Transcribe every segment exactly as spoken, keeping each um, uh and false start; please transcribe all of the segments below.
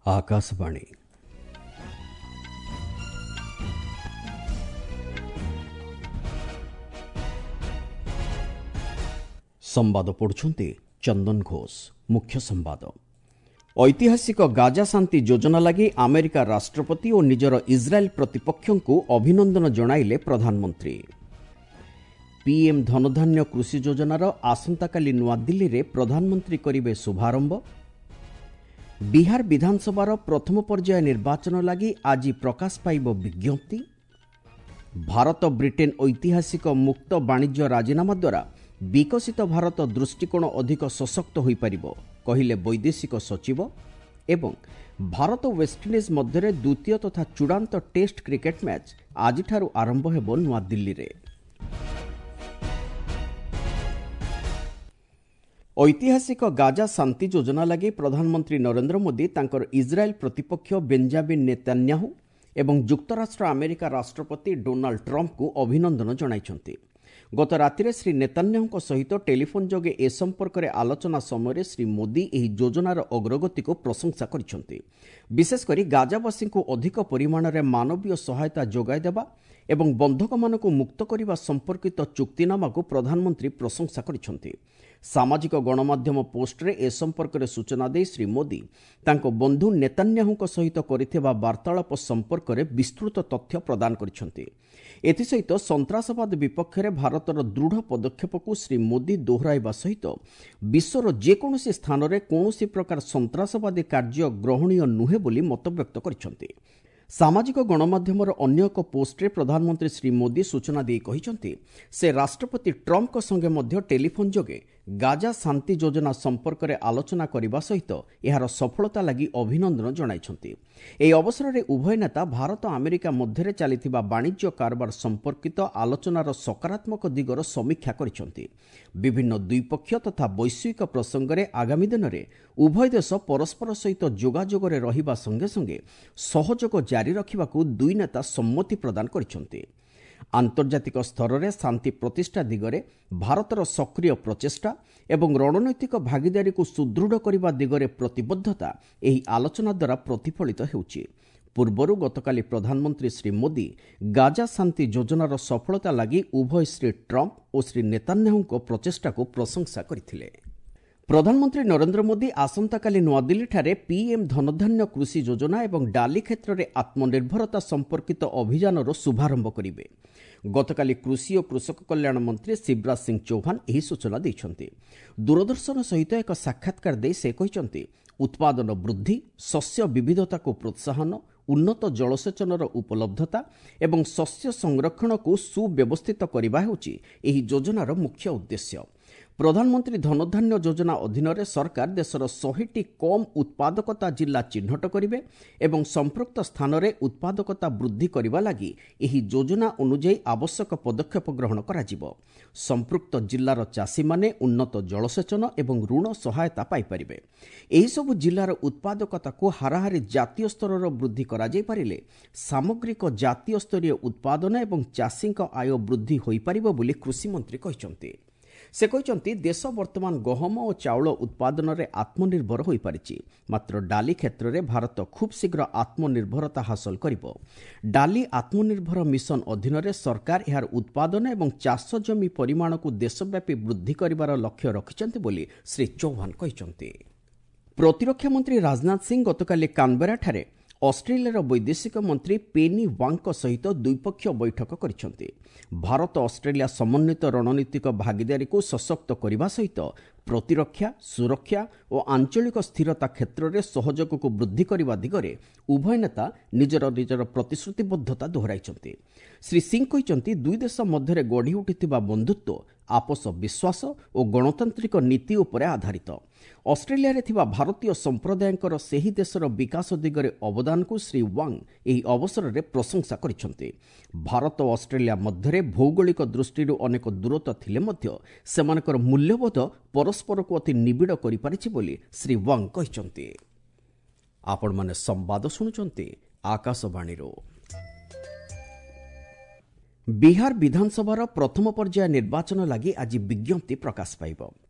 ଆକାଶବାଣୀ। ସମ୍ବାଦ ପଢୁଛନ୍ତି ଚନ୍ଦନ ଘୋଷ। ମୁଖ୍ୟ ସମ୍ବାଦ। ଐତିହାସିକ ଗାଜା ଶାନ୍ତି ଯୋଜନା ଲାଗି ଆମେରିକା ରାଷ୍ଟ୍ରପତି ଓ ନିଜର ଇସ୍ରାଏଲ୍ ପ୍ରତିପକ୍ଷଙ୍କୁ ଅଭିନନ୍ଦନ ଜଣାଇଲେ ପ୍ରଧାନମନ୍ତ୍ରୀ। ପିଏମ୍ ଧନଧାନ୍ୟ କୃଷି ଯୋଜନାର ଆସନ୍ତାକାଲି ନୂଆଦିଲ୍ଲୀରେ ପ୍ରଧାନମନ୍ତ୍ରୀ କରିବେ ଶୁଭାରମ୍ଭ। ବିହାର ବିଧାନସଭାର ପ୍ରଥମ ପର୍ଯ୍ୟାୟ ନିର୍ବାଚନ ଲାଗି ଆଜି ପ୍ରକାଶ ପାଇବ ବିଜ୍ଞପ୍ତି। ଭାରତ ବ୍ରିଟେନ୍ ଐତିହାସିକ ମୁକ୍ତ ବାଣିଜ୍ୟ ରାଜିନାମା ଦ୍ୱାରା ବିକଶିତ ଭାରତ ଦୃଷ୍ଟିକୋଣ ଅଧିକ ସଶକ୍ତ ହୋଇପାରିବ, କହିଲେ ବୈଦେଶିକ ସଚିବ। ଏବଂ ଭାରତ ୱେଷ୍ଟଇଣ୍ଡିଜ୍ ମଧ୍ୟରେ ଦ୍ୱିତୀୟ ତଥା ଚୂଡ଼ାନ୍ତ ଟେଷ୍ଟ କ୍ରିକେଟ୍ ମ୍ୟାଚ୍ ଆଜିଠାରୁ ଆରମ୍ଭ ହେବ ନୂଆଦିଲ୍ଲୀରେ। ଐତିହାସିକ ଗାଜା ଶାନ୍ତି ଯୋଜନା ଲାଗି ପ୍ରଧାନମନ୍ତ୍ରୀ ନରେନ୍ଦ୍ର ମୋଦି ତାଙ୍କର ଇସ୍ରାଏଲ୍ ପ୍ରତିପକ୍ଷ ବେଞ୍ଜାମିନ୍ ନେତାନ୍ୟାହୁ ଏବଂ ଯୁକ୍ତରାଷ୍ଟ୍ର ଆମେରିକା ରାଷ୍ଟ୍ରପତି ଡୋନାଲ୍ଡ ଟ୍ରମ୍ପଙ୍କୁ ଅଭିନନ୍ଦନ ଜଣାଇଛନ୍ତି। ଗତ ରାତିରେ ଶ୍ରୀ ନେତାନ୍ୟାହୁଙ୍କ ସହିତ ଟେଲିଫୋନ୍ ଯୋଗେ ଏ ସମ୍ପର୍କରେ ଆଲୋଚନା ସମୟରେ ଶ୍ରୀ ମୋଦି ଏହି ଯୋଜନାର ଅଗ୍ରଗତିକୁ ପ୍ରଶଂସା କରିଛନ୍ତି। ବିଶେଷକରି ଗାଜାବାସୀଙ୍କୁ ଅଧିକ ପରିମାଣରେ ମାନବୀୟ ସହାୟତା ଯୋଗାଇ ଦେବା ଏବଂ ବନ୍ଧକମାନଙ୍କୁ ମୁକ୍ତ କରିବା ସମ୍ପର୍କିତ ଚୁକ୍ତିନାମାକୁ ପ୍ରଧାନମନ୍ତ୍ରୀ ପ୍ରଶଂସା କରିଛନ୍ତି। ସାମାଜିକ ଗଣମାଧ୍ୟମ ପୋଷ୍ଟରେ ଏ ସମ୍ପର୍କରେ ସୂଚନା ଦେଇ ଶ୍ରୀ ମୋଦି ତାଙ୍କ ବନ୍ଧୁ ନେତାନ୍ୟାହୁଙ୍କ ସହିତ କରିଥିବା ବାର୍ତ୍ତାଳାପ ସମ୍ପର୍କରେ ବିସ୍ତୃତ ତଥ୍ୟ ପ୍ରଦାନ କରିଛନ୍ତି। ଏଥିସହିତ ସନ୍ତ୍ରାସବାଦ ବିପକ୍ଷରେ ଭାରତର ଦୃଢ଼ ପଦକ୍ଷେପକୁ ଶ୍ରୀ ମୋଦି ଦୋହରାଇବା ସହିତ ବିଶ୍ୱର ଯେକୌଣସି ସ୍ଥାନରେ କୌଣସି ପ୍ରକାର ସନ୍ତ୍ରାସବାଦୀ କାର୍ଯ୍ୟ ଗ୍ରହଣୀୟ ନୁହେଁ ବୋଲି ମତବ୍ୟକ୍ତ କରିଛନ୍ତି। ସାମାଜିକ ଗଣମାଧ୍ୟମର ଅନ୍ୟ ଏକ ପୋଷ୍ଟରେ ପ୍ରଧାନମନ୍ତ୍ରୀ ଶ୍ରୀ ମୋଦି ସୂଚନା ଦେଇ କହିଛନ୍ତି, ସେ ରାଷ୍ଟ୍ରପତି ଟ୍ରମ୍ପଙ୍କ ସଙ୍ଗେ ମଧ୍ୟ ଟେଲିଫୋନ୍ ଯୋଗେ ଗାଜା ଶାନ୍ତି ଯୋଜନା ସମ୍ପର୍କରେ ଆଲୋଚନା କରିବା ସହିତ ଏହାର ସଫଳତା ଲାଗି ଅଭିନନ୍ଦନ ଜଣାଇଛନ୍ତି। ଏହି ଅବସରରେ ଉଭୟ ନେତା ଭାରତ ଆମେରିକା ମଧ୍ୟରେ ଚାଲିଥିବା ବାଣିଜ୍ୟ କାରବାର ସମ୍ପର୍କିତ ଆଲୋଚନାର ସକାରାତ୍ମକ ଦିଗର ସମୀକ୍ଷା କରିଛନ୍ତି। ବିଭିନ୍ନ ଦ୍ୱିପକ୍ଷୀୟ ତଥା ବୈଶ୍ୱିକ ପ୍ରସଙ୍ଗରେ ଆଗାମୀ ଦିନରେ ଉଭୟ ଦେଶ ପରସ୍ପର ସହିତ ଯୋଗାଯୋଗରେ ରହିବା ସଙ୍ଗେ ସଙ୍ଗେ ସହଯୋଗ ଜାରି ରଖିବାକୁ ଦୁଇ ନେତା ସମ୍ମତି ପ୍ରଦାନ କରିଛନ୍ତି। ଆନ୍ତର୍ଜାତିକ ସ୍ତରରେ ଶାନ୍ତି ପ୍ରତିଷ୍ଠା ଦିଗରେ ଭାରତର ସକ୍ରିୟ ପ୍ରଚେଷ୍ଟା ଏବଂ ରଣନୈତିକ ଭାଗିଦାରୀକୁ ସୁଦୃଢ଼ କରିବା ଦିଗରେ ପ୍ରତିବଦ୍ଧତା ଏହି ଆଲୋଚନା ଦ୍ୱାରା ପ୍ରତିଫଳିତ ହେଉଛି। ପୂର୍ବରୁ ଗତକାଲି ପ୍ରଧାନମନ୍ତ୍ରୀ ଶ୍ରୀ ମୋଦି ଗାଜା ଶାନ୍ତି ଯୋଜନାର ସଫଳତା ଲାଗି ଉଭୟ ଶ୍ରୀ ଟ୍ରମ୍ପ ଓ ଶ୍ରୀ ନେତାନ୍ୟାହୁଙ୍କ ପ୍ରଚେଷ୍ଟାକୁ ପ୍ରଶଂସା କରିଥିଲେ। ପ୍ରଧାନମନ୍ତ୍ରୀ ନରେନ୍ଦ୍ର ମୋଦି ଆସନ୍ତାକାଲି ନୂଆଦିଲ୍ଲୀଠାରେ ପିଏମ୍ ଧନଧାନ୍ୟ କୃଷି ଯୋଜନା ଏବଂ ଡାଲି କ୍ଷେତ୍ରରେ ଆତ୍ମନିର୍ଭରତା ସମ୍ପର୍କିତ ଅଭିଯାନର ଶୁଭାରମ୍ଭ କରିବେ। ଗତକାଲି କୃଷି ଓ କୃଷକ କଲ୍ୟାଣ ମନ୍ତ୍ରୀ ଶିବରାଜ ସିଂ ଚୌହାନ ଏହି ସୂଚନା ଦେଇଛନ୍ତି। ଦୂରଦର୍ଶନ ସହିତ ଏକ ସାକ୍ଷାତକାର ଦେଇ ସେ କହିଛନ୍ତି, ଉତ୍ପାଦନ ବୃଦ୍ଧି, ଶସ୍ୟ ବିବିଧତାକୁ ପ୍ରୋତ୍ସାହନ, ଉନ୍ନତ ଜଳସେଚନର ଉପଲବ୍ଧତା ଏବଂ ଶସ୍ୟ ସଂରକ୍ଷଣକୁ ସୁବ୍ୟବସ୍ଥିତ କରିବା ହେଉଛି ଏହି ଯୋଜନାର ମୁଖ୍ୟ ଉଦ୍ଦେଶ୍ୟ। ପ୍ରଧାନମନ୍ତ୍ରୀ ଧନଧାନ୍ୟ ଯୋଜନା ଅଧୀନରେ ସରକାର ଦେଶର ଶହେଟି କମ୍ ଉତ୍ପାଦକତା ଜିଲ୍ଲା ଚିହ୍ନଟ କରିବେ ଏବଂ ସମ୍ପୃକ୍ତ ସ୍ଥାନରେ ଉତ୍ପାଦକତା ବୃଦ୍ଧି କରିବା ଲାଗି ଏହି ଯୋଜନା ଅନୁଯାୟୀ ଆବଶ୍ୟକ ପଦକ୍ଷେପ ଗ୍ରହଣ କରାଯିବ। ସମ୍ପୃକ୍ତ ଜିଲ୍ଲାର ଚାଷୀମାନେ ଉନ୍ନତ ଜଳସେଚନ ଏବଂ ଋଣ ସହାୟତା ପାଇପାରିବେ। ଏହିସବୁ ଜିଲ୍ଲାର ଉତ୍ପାଦକତାକୁ ହାରାହାରି ଜାତୀୟ ସ୍ତରର ବୃଦ୍ଧି କରାଯାଇପାରିଲେ ସାମଗ୍ରିକ ଜାତୀୟ ସ୍ତରୀୟ ଉତ୍ପାଦନ ଏବଂ ଚାଷୀଙ୍କ ଆୟ ବୃଦ୍ଧି ହୋଇପାରିବ ବୋଲି କୃଷିମନ୍ତ୍ରୀ କହିଛନ୍ତି। ସେ କହିଛନ୍ତି, ଦେଶ ବର୍ତ୍ତମାନ ଗହମ ଓ ଚାଉଳ ଉତ୍ପାଦନରେ ଆତ୍ମନିର୍ଭର ହୋଇପାରିଛି, ମାତ୍ର ଡାଲି କ୍ଷେତ୍ରରେ ଭାରତ ଖୁବ୍ ଶୀଘ୍ର ଆତ୍ମନିର୍ଭରତା ହାସଲ କରିବ। ଡାଲି ଆତ୍ମନିର୍ଭର ମିଶନ ଅଧୀନରେ ସରକାର ଏହାର ଉତ୍ପାଦନ ଏବଂ ଚାଷ ଜମି ପରିମାଣକୁ ଦେଶବ୍ୟାପୀ ବୃଦ୍ଧି କରିବାର ଲକ୍ଷ୍ୟ ରଖିଛନ୍ତି ବୋଲି ଶ୍ରୀ ଚୌହାନ କହିଛନ୍ତି। ପ୍ରତିରକ୍ଷା ମନ୍ତ୍ରୀ ରାଜନାଥ ସିଂ ଗତକାଲି କାନବେରାଠାରେ ଅଷ୍ଟ୍ରେଲିଆର ବୈଦେଶିକ ମନ୍ତ୍ରୀ ପେନି ୱାଙ୍ଗଙ୍କ ସହିତ ଦ୍ୱିପକ୍ଷୀୟ ବୈଠକ କରିଛନ୍ତି। ଭାରତ ଅଷ୍ଟ୍ରେଲିଆ ସମନ୍ୱିତ ରଣନୀତିକ ଭାଗିଦାରୀକୁ ସଶକ୍ତ କରିବା ସହିତ ପ୍ରତିରକ୍ଷା, ସୁରକ୍ଷା ଓ ଆଞ୍ଚଳିକ ସ୍ଥିରତା କ୍ଷେତ୍ରରେ ସହଯୋଗକୁ ବୃଦ୍ଧି କରିବା ଦିଗରେ ଉଭୟ ନେତା ନିଜର ନିଜର ପ୍ରତିଶ୍ରୁତିବଦ୍ଧତା ଦୋହରାଇଛନ୍ତି। ଶ୍ରୀ ସିଂ କହିଛନ୍ତି, ଦୁଇ ଦେଶ ମଧ୍ୟରେ ଗଢ଼ି ଉଠିଥିବା ବନ୍ଧୁତ୍ୱ ଆପୋଷ ବିଶ୍ୱାସ ଓ ଗଣତାନ୍ତ୍ରିକ ନୀତି ଉପରେ ଆଧାରିତ। ଅଷ୍ଟ୍ରେଲିଆରେ ଥିବା ଭାରତୀୟ ସମ୍ପ୍ରଦାୟଙ୍କର ସେହି ଦେଶର ବିକାଶ ଦିଗରେ ଅବଦାନକୁ ଶ୍ରୀ ୱାଙ୍ଗ ଏହି ଅବସରରେ ପ୍ରଶଂସା କରିଛନ୍ତି। ଭାରତ ଓ ଅଷ୍ଟ୍ରେଲିଆ ମଧ୍ୟରେ ଭୌଗୋଳିକ ଦୃଷ୍ଟିରୁ ଅନେକ ଦୂରତା ଥିଲେ ମଧ୍ୟ ସେମାନଙ୍କର ମୂଲ୍ୟବୋଧ ପରସ୍ପରକୁ ଅତି ନିବିଡ଼ କରିପାରିଛି ବୋଲି ଶ୍ରୀ ୱାଙ୍ଗ କହିଛନ୍ତି। ଆପଣମାନେ ସମ୍ବାଦ ଶୁଣୁଛନ୍ତି ଆକାଶବାଣୀରୁ। ବିହାର ବିଧାନସଭାର ପ୍ରଥମ ପର୍ଯ୍ୟାୟ ନିର୍ବାଚନ ଲାଗି ଆଜି ବିଜ୍ଞପ୍ତି ପ୍ରକାଶ ପାଇବ।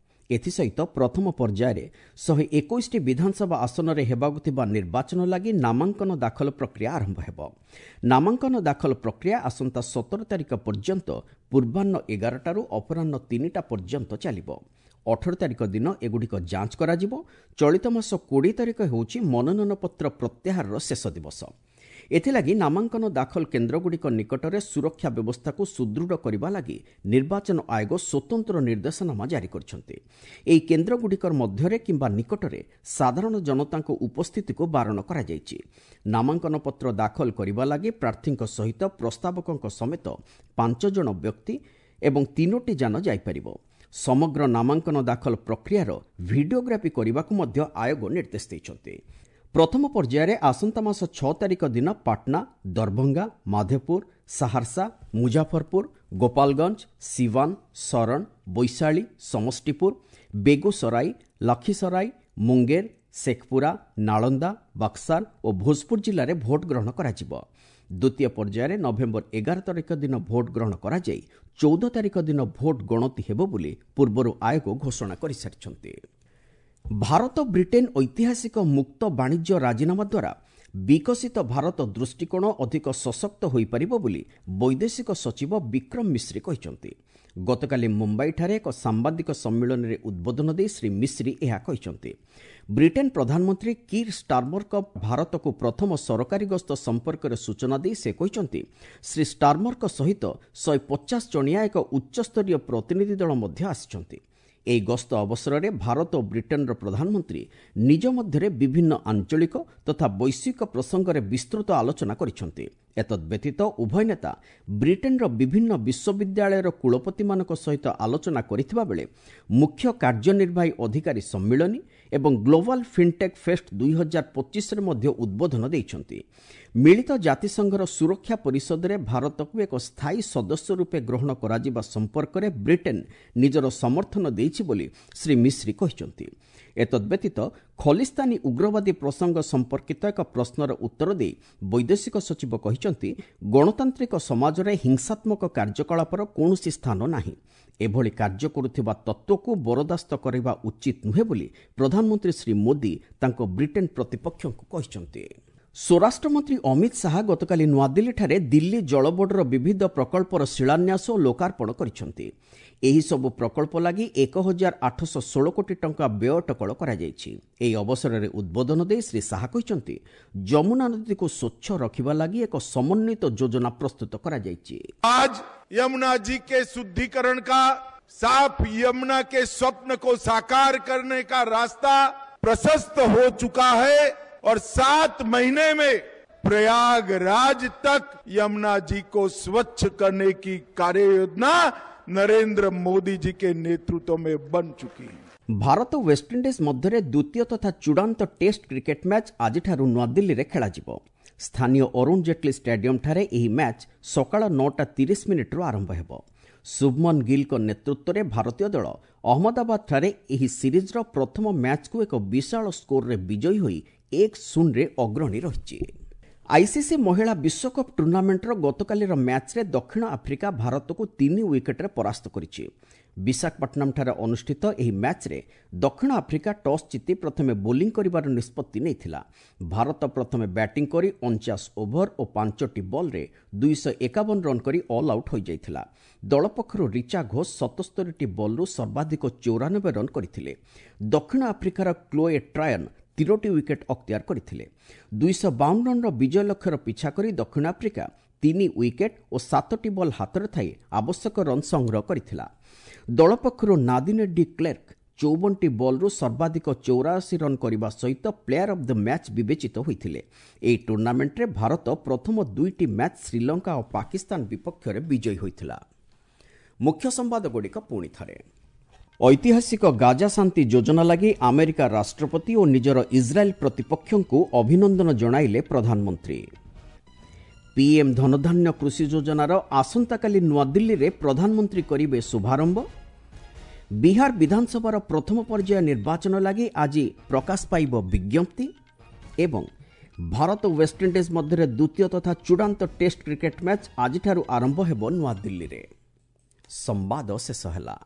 ଏଥିସହିତ ପ୍ରଥମ ପର୍ଯ୍ୟାୟରେ ଶହେ ଏକୋଇଶଟି ବିଧାନସଭା ଆସନରେ ହେବାକୁ ଥିବା ନିର୍ବାଚନ ଲାଗି ନାମାଙ୍କନ ଦାଖଲ ପ୍ରକ୍ରିୟା ଆରମ୍ଭ ହେବ। ନାମାଙ୍କନ ଦାଖଲ ପ୍ରକ୍ରିୟା ଆସନ୍ତା ସତର ତାରିଖ ପର୍ଯ୍ୟନ୍ତ ପୂର୍ବାହ୍ନ ଏଗାରଟାରୁ ଅପରାହ୍ନ ତିନିଟା ପର୍ଯ୍ୟନ୍ତ ଚାଲିବ। ଅଠର ତାରିଖ ଦିନ ଏଗୁଡ଼ିକ ଯାଞ୍ଚ କରାଯିବ। ଚଳିତ ମାସ କୋଡ଼ିଏ ତାରିଖ ହେଉଛି ମନୋନୟନପତ୍ର ପ୍ରତ୍ୟାହାରର ଶେଷ ଦିବସ। ଏଥିଲାଗି ନାମାଙ୍କନ ଦାଖଲ କେନ୍ଦ୍ରଗୁଡ଼ିକ ନିକଟରେ ସୁରକ୍ଷା ବ୍ୟବସ୍ଥାକୁ ସୁଦୃଢ଼ କରିବା ଲାଗି ନିର୍ବାଚନ ଆୟୋଗ ସ୍ୱତନ୍ତ୍ର ନିର୍ଦ୍ଦେଶନାମା ଜାରି କରିଛନ୍ତି। ଏହି କେନ୍ଦ୍ରଗୁଡ଼ିକ ମଧ୍ୟରେ କିମ୍ବା ନିକଟରେ ସାଧାରଣ ଜନତାଙ୍କ ଉପସ୍ଥିତିକୁ ବାରଣ କରାଯାଇଛି। ନାମାଙ୍କନପତ୍ର ଦାଖଲ କରିବା ଲାଗି ପ୍ରାର୍ଥୀଙ୍କ ସହିତ ପ୍ରସ୍ତାବକଙ୍କ ସମେତ ପାଞ୍ଚ ଜଣ ବ୍ୟକ୍ତି ଏବଂ ତିନୋଟି ଯାନ ଯାଇପାରିବ। ସମଗ୍ର ନାମାଙ୍କନ ଦାଖଲ ପ୍ରକ୍ରିୟାର ଭିଡିଓଗ୍ରାଫି କରିବାକୁ ମଧ୍ୟ ଆୟୋଗ ନିର୍ଦ୍ଦେଶ ଦେଇଛନ୍ତି। ପ୍ରଥମ ପର୍ଯ୍ୟାୟରେ ଆସନ୍ତା ମାସ ଛଅ ତାରିଖ ଦିନ ପାଟନା, ଦରଭଙ୍ଗା, ମାଧେପୁର, ସାହାରସା, ମୁଜାଫରପୁର, ଗୋପାଲଗଞ୍ଜ, ସିୱାନ, ଶରଣ, ବୈଶାଳୀ, ସମସ୍ତିପୁର, ବେଗୁସରାଇ, ଲଖିସରାଇ, ମୁଙ୍ଗେର, ଶେଖପୁରା, ନାଳନ୍ଦା, ବକ୍ସାର ଓ ଭୋଜପୁର ଜିଲ୍ଲାରେ ଭୋଟ ଗ୍ରହଣ କରାଯିବ। ଦ୍ୱିତୀୟ ପର୍ଯ୍ୟାୟରେ ନଭେମ୍ବର ଏଗାର ତାରିଖ ଦିନ ଭୋଟ ଗ୍ରହଣ କରାଯାଇ ଚଉଦ ତାରିଖ ଦିନ ଭୋଟ ଗଣତି ହେବ ବୋଲି ପୂର୍ବରୁ ଆୟୋଗ ଘୋଷଣା କରିସାରିଛନ୍ତି। ଭାରତ ବ୍ରିଟେନ୍ ଐତିହାସିକ ମୁକ୍ତ ବାଣିଜ୍ୟ ରାଜିନାମା ଦ୍ୱାରା ବିକଶିତ ଭାରତ ଦୃଷ୍ଟିକୋଣ ଅଧିକ ସଶକ୍ତ ହୋଇପାରିବ ବୋଲି ବୈଦେଶିକ ସଚିବ ବିକ୍ରମ ମିଶ୍ରି କହିଛନ୍ତି। ଗତକାଲି ମୁମ୍ବାଇଠାରେ ଏକ ସାମ୍ବାଦିକ ସମ୍ମିଳନୀରେ ଉଦ୍ବୋଧନ ଦେଇ ଶ୍ରୀ ମିଶ୍ରି ଏହା କହିଛନ୍ତି। ବ୍ରିଟେନ୍ ପ୍ରଧାନମନ୍ତ୍ରୀ କିର୍ ଷ୍ଟାର୍ମରଙ୍କ ଭାରତକୁ ପ୍ରଥମ ସରକାରୀ ଗସ୍ତ ସମ୍ପର୍କରେ ସୂଚନା ଦେଇ ସେ କହିଛନ୍ତି, ଶ୍ରୀ ଷ୍ଟାର୍ମରଙ୍କ ସହିତ ଶହେ ପଚାଶ ଜଣିଆ ଏକ ଉଚ୍ଚସ୍ତରୀୟ ପ୍ରତିନିଧି ଦଳ ମଧ୍ୟ ଆସିଛନ୍ତି। ଏହି ଗସ୍ତ ଅବସରରେ ଭାରତ ଓ ବ୍ରିଟେନ୍ର ପ୍ରଧାନମନ୍ତ୍ରୀ ନିଜ ମଧ୍ୟରେ ବିଭିନ୍ନ ଆଞ୍ଚଳିକ ତଥା ବୈଶ୍ୱିକ ପ୍ରସଙ୍ଗରେ ବିସ୍ତୃତ ଆଲୋଚନା କରିଛନ୍ତି। ଏତଦ୍ବ୍ୟତୀତ ଉଭୟ ନେତା ବ୍ରିଟେନ୍ର ବିଭିନ୍ନ ବିଶ୍ୱବିଦ୍ୟାଳୟର କୁଳପତିମାନଙ୍କ ସହିତ ଆଲୋଚନା କରିଥିବା ବେଳେ ମୁଖ୍ୟ କାର୍ଯ୍ୟନିର୍ବାହୀ ଅଧିକାରୀ ସମ୍ମିଳନୀ ଏବଂ ଗ୍ଲୋବାଲ୍ ଫିନ୍ଟେକ୍ ଫେଷ୍ଟ ଦୁଇ ହଜାର ପଚିଶରେ ମଧ୍ୟ ଉଦ୍ବୋଧନ ଦେଇଛନ୍ତି। ମିଳିତ ଜାତିସଂଘର ସୁରକ୍ଷା ପରିଷଦରେ ଭାରତକୁ ଏକ ସ୍ଥାୟୀ ସଦସ୍ୟ ରୂପେ ଗ୍ରହଣ କରାଯିବା ସମ୍ପର୍କରେ ବ୍ରିଟେନ୍ ନିଜର ସମର୍ଥନ ଦେଇଛି ବୋଲି ଶ୍ରୀ ମିଶ୍ରି କହିଛନ୍ତି। ଏତଦ୍ବ୍ୟତୀତ ଖଲିସ୍ତାନୀ ଉଗ୍ରବାଦୀ ପ୍ରସଙ୍ଗ ସମ୍ପର୍କିତ ଏକ ପ୍ରଶ୍ନର ଉତ୍ତର ଦେଇ ବୈଦେଶିକ ସଚିବ କହିଛନ୍ତି, ଗଣତାନ୍ତ୍ରିକ ସମାଜରେ ହିଂସାତ୍ମକ କାର୍ଯ୍ୟକଳାପର କୌଣସି ସ୍ଥାନ ନାହିଁ। ଏଭଳି କାର୍ଯ୍ୟ କରୁଥିବା ତତ୍ତ୍ୱକୁ ବରଦାସ୍ତ କରିବା ଉଚିତ ନୁହେଁ ବୋଲି ପ୍ରଧାନମନ୍ତ୍ରୀ ଶ୍ରୀ ମୋଦି ତାଙ୍କ ବ୍ରିଟେନ୍ ପ୍ରତିପକ୍ଷଙ୍କୁ କହିଛନ୍ତି। ସ୍ୱରାଷ୍ଟ୍ରମନ୍ତ୍ରୀ ଅମିତ ଶାହା ଗତକାଲି ନୂଆଦିଲ୍ଲୀଠାରେ ଦିଲ୍ଲୀ ଜଳ ବୋର୍ଡର ବିବିଧ ପ୍ରକଳ୍ପର ଶିଳାନ୍ୟାସ ଓ ଲୋକାର୍ପଣ କରିଛନ୍ତି। ଏହିସବୁ ପ୍ରକଳ୍ପ ଲାଗି ଏକ ହଜାର ଆଠଶହ ଷୋହଳ କୋଟି ଟଙ୍କା ବ୍ୟୟ ଅଟକଳ କରାଯାଇଛି। ଏହି ଅବସରରେ ଉଦ୍ବୋଧନ ଦେଇ ଶ୍ରୀ ଶାହା କହିଛନ୍ତି, ଯମୁନା ନଦୀକୁ ସ୍ୱଚ୍ଛ ରଖିବା ଲାଗି ଏକ ସମନ୍ୱିତ ଯୋଜନା ପ୍ରସ୍ତୁତ କରାଯାଇଛି। आज यमुना जी के शुद्धिकरण का, साफ यमुना के स्वप्न को साकार करने का रास्ता प्रशस्त हो चुका है और सात महीने में प्रयागराज तक यमुना जी को स्वच्छ करने की कार्य योजना नरेंद्र मोदी जी के नेतृत्व में बन चुकी है। ଭାରତ ୱେଷ୍ଟଇଣ୍ଡିଜ୍ ମଧ୍ୟରେ ଦ୍ୱିତୀୟ ତଥା ଚୂଡ଼ାନ୍ତ ଟେଷ୍ଟ କ୍ରିକେଟ୍ ମ୍ୟାଚ୍ ଆଜିଠାରୁ ନୂଆଦିଲ୍ଲୀରେ ଖେଳାଯିବ। ସ୍ଥାନୀୟ ଅରୁଣ ଜେଟଲୀ ଷ୍ଟାଡିୟମ୍ଠାରେ ଏହି ମ୍ୟାଚ୍ ସକାଳ ନଅଟା ତିରିଶ ମିନିଟ୍ରୁ ଆରମ୍ଭ ହେବ। ଶୁଭମନ ଗିଲ୍ଙ୍କ ନେତୃତ୍ୱରେ ଭାରତୀୟ ଦଳ ଅହମ୍ମଦାବାଦଠାରେ ଏହି ସିରିଜ୍ର ପ୍ରଥମ ମ୍ୟାଚ୍କୁ ଏକ ବିଶାଳ ସ୍କୋରରେ ବିଜୟୀ ହୋଇ ଏକ ଶୂନରେ ଅଗ୍ରଣୀ ରହିଛି। ଆଇସିସି ମହିଳା ବିଶ୍ୱକପ୍ ଟୁର୍ଣ୍ଣାମେଣ୍ଟର ଗତକାଲିର ମ୍ୟାଚ୍ରେ ଦକ୍ଷିଣ ଆଫ୍ରିକା ଭାରତକୁ ତିନି ୱିକେଟ୍ରେ ପରାସ୍ତ କରିଛି। ବିଶାଖାପଟ୍ଟନମଠାରେ ଅନୁଷ୍ଠିତ ଏହି ମ୍ୟାଚ୍ରେ ଦକ୍ଷିଣ ଆଫ୍ରିକା ଟସ୍ ଜିତି ପ୍ରଥମେ ବୋଲିଂ କରିବାର ନିଷ୍ପତ୍ତି ନେଇଥିଲା। ଭାରତ ପ୍ରଥମେ ବ୍ୟାଟିଂ କରି ଅଣଚାଶ ଓଭର ଓ ପାଞ୍ଚଟି ବଲ୍ରେ ଦୁଇଶହ ଏକାବନ ରନ୍ କରି ଅଲ୍ ଆଉଟ୍ ହୋଇଯାଇଥିଲା। ଦଳ ପକ୍ଷରୁ ରିଚା ଘୋଷ ସତସ୍ତରୀଟି ବଲ୍ରୁ ସର୍ବାଧିକ ଚଉରାନବେ ରନ୍ କରିଥିଲେ। ଦକ୍ଷିଣ ଆଫ୍ରିକାର କ୍ଲୋଏ ଟ୍ରାୟନ୍ ତିନୋଟି ୱିକେଟ୍ ଅକ୍ତିଆର କରିଥିଲେ। ଦୁଇଶହ ବାଉନ ରନ୍ର ବିଜୟ ଲକ୍ଷ୍ୟର ପିଛା କରି ଦକ୍ଷିଣ ଆଫ୍ରିକା ତିନି ୱିକେଟ୍ ଓ ସାତଟି ବଲ୍ ହାତରେ ଥାଇ ଆବଶ୍ୟକ ରନ୍ ସଂଗ୍ରହ କରିଥିଲା। ଦଳ ପକ୍ଷରୁ ନାଦିନେ ଡି କ୍ଲେର୍କ ଚଉବନଟି ବଲ୍ରୁ ସର୍ବାଧିକ ଚଉରାଅଶୀ ରନ୍ କରିବା ସହିତ ପ୍ଲେୟାର ଅଫ୍ the match ବିବେଚିତ ହୋଇଥିଲେ। ଏହି ଟୁର୍ଣ୍ଣାମେଣ୍ଟରେ ଭାରତ ପ୍ରଥମ ଦୁଇଟି ମ୍ୟାଚ୍ ଶ୍ରୀଲଙ୍କା ଓ ପାକିସ୍ତାନ ବିପକ୍ଷରେ ବିଜୟୀ ହୋଇଥିଲା। ମୁଖ୍ୟ ସମ୍ବାଦଗୁଡ଼ିକ ପୁଣି ଥରେ। ଐତିହାସିକ ଗାଜା ଶାନ୍ତି ଯୋଜନା ଲାଗି ଆମେରିକା ରାଷ୍ଟ୍ରପତି ଓ ନିଜର ଇସ୍ରାଏଲ୍ ପ୍ରତିପକ୍ଷଙ୍କୁ ଅଭିନନ୍ଦନ ଜଣାଇଲେ ପ୍ରଧାନମନ୍ତ୍ରୀ। ପିଏମ୍ ଧନଧାନ୍ୟ କୃଷି ଯୋଜନାର ଆସନ୍ତାକାଲି ନୂଆଦିଲ୍ଲୀରେ ପ୍ରଧାନମନ୍ତ୍ରୀ କରିବେ ଶୁଭାରମ୍ଭ। ବିହାର ବିଧାନସଭାର ପ୍ରଥମ ପର୍ଯ୍ୟାୟ ନିର୍ବାଚନ ଲାଗି ଆଜି ପ୍ରକାଶ ପାଇବ ବିଜ୍ଞପ୍ତି। ଏବଂ ଭାରତ ୱେଷ୍ଟଇଣ୍ଡିଜ୍ ମଧ୍ୟରେ ଦ୍ୱିତୀୟ ତଥା ଚୂଡ଼ାନ୍ତ ଟେଷ୍ଟ କ୍ରିକେଟ୍ ମ୍ୟାଚ୍ ଆଜିଠାରୁ ଆରମ୍ଭ ହେବ ନୂଆଦିଲ୍ଲୀରେ। ସମ୍ବାଦ ଶେଷ ହେଲା।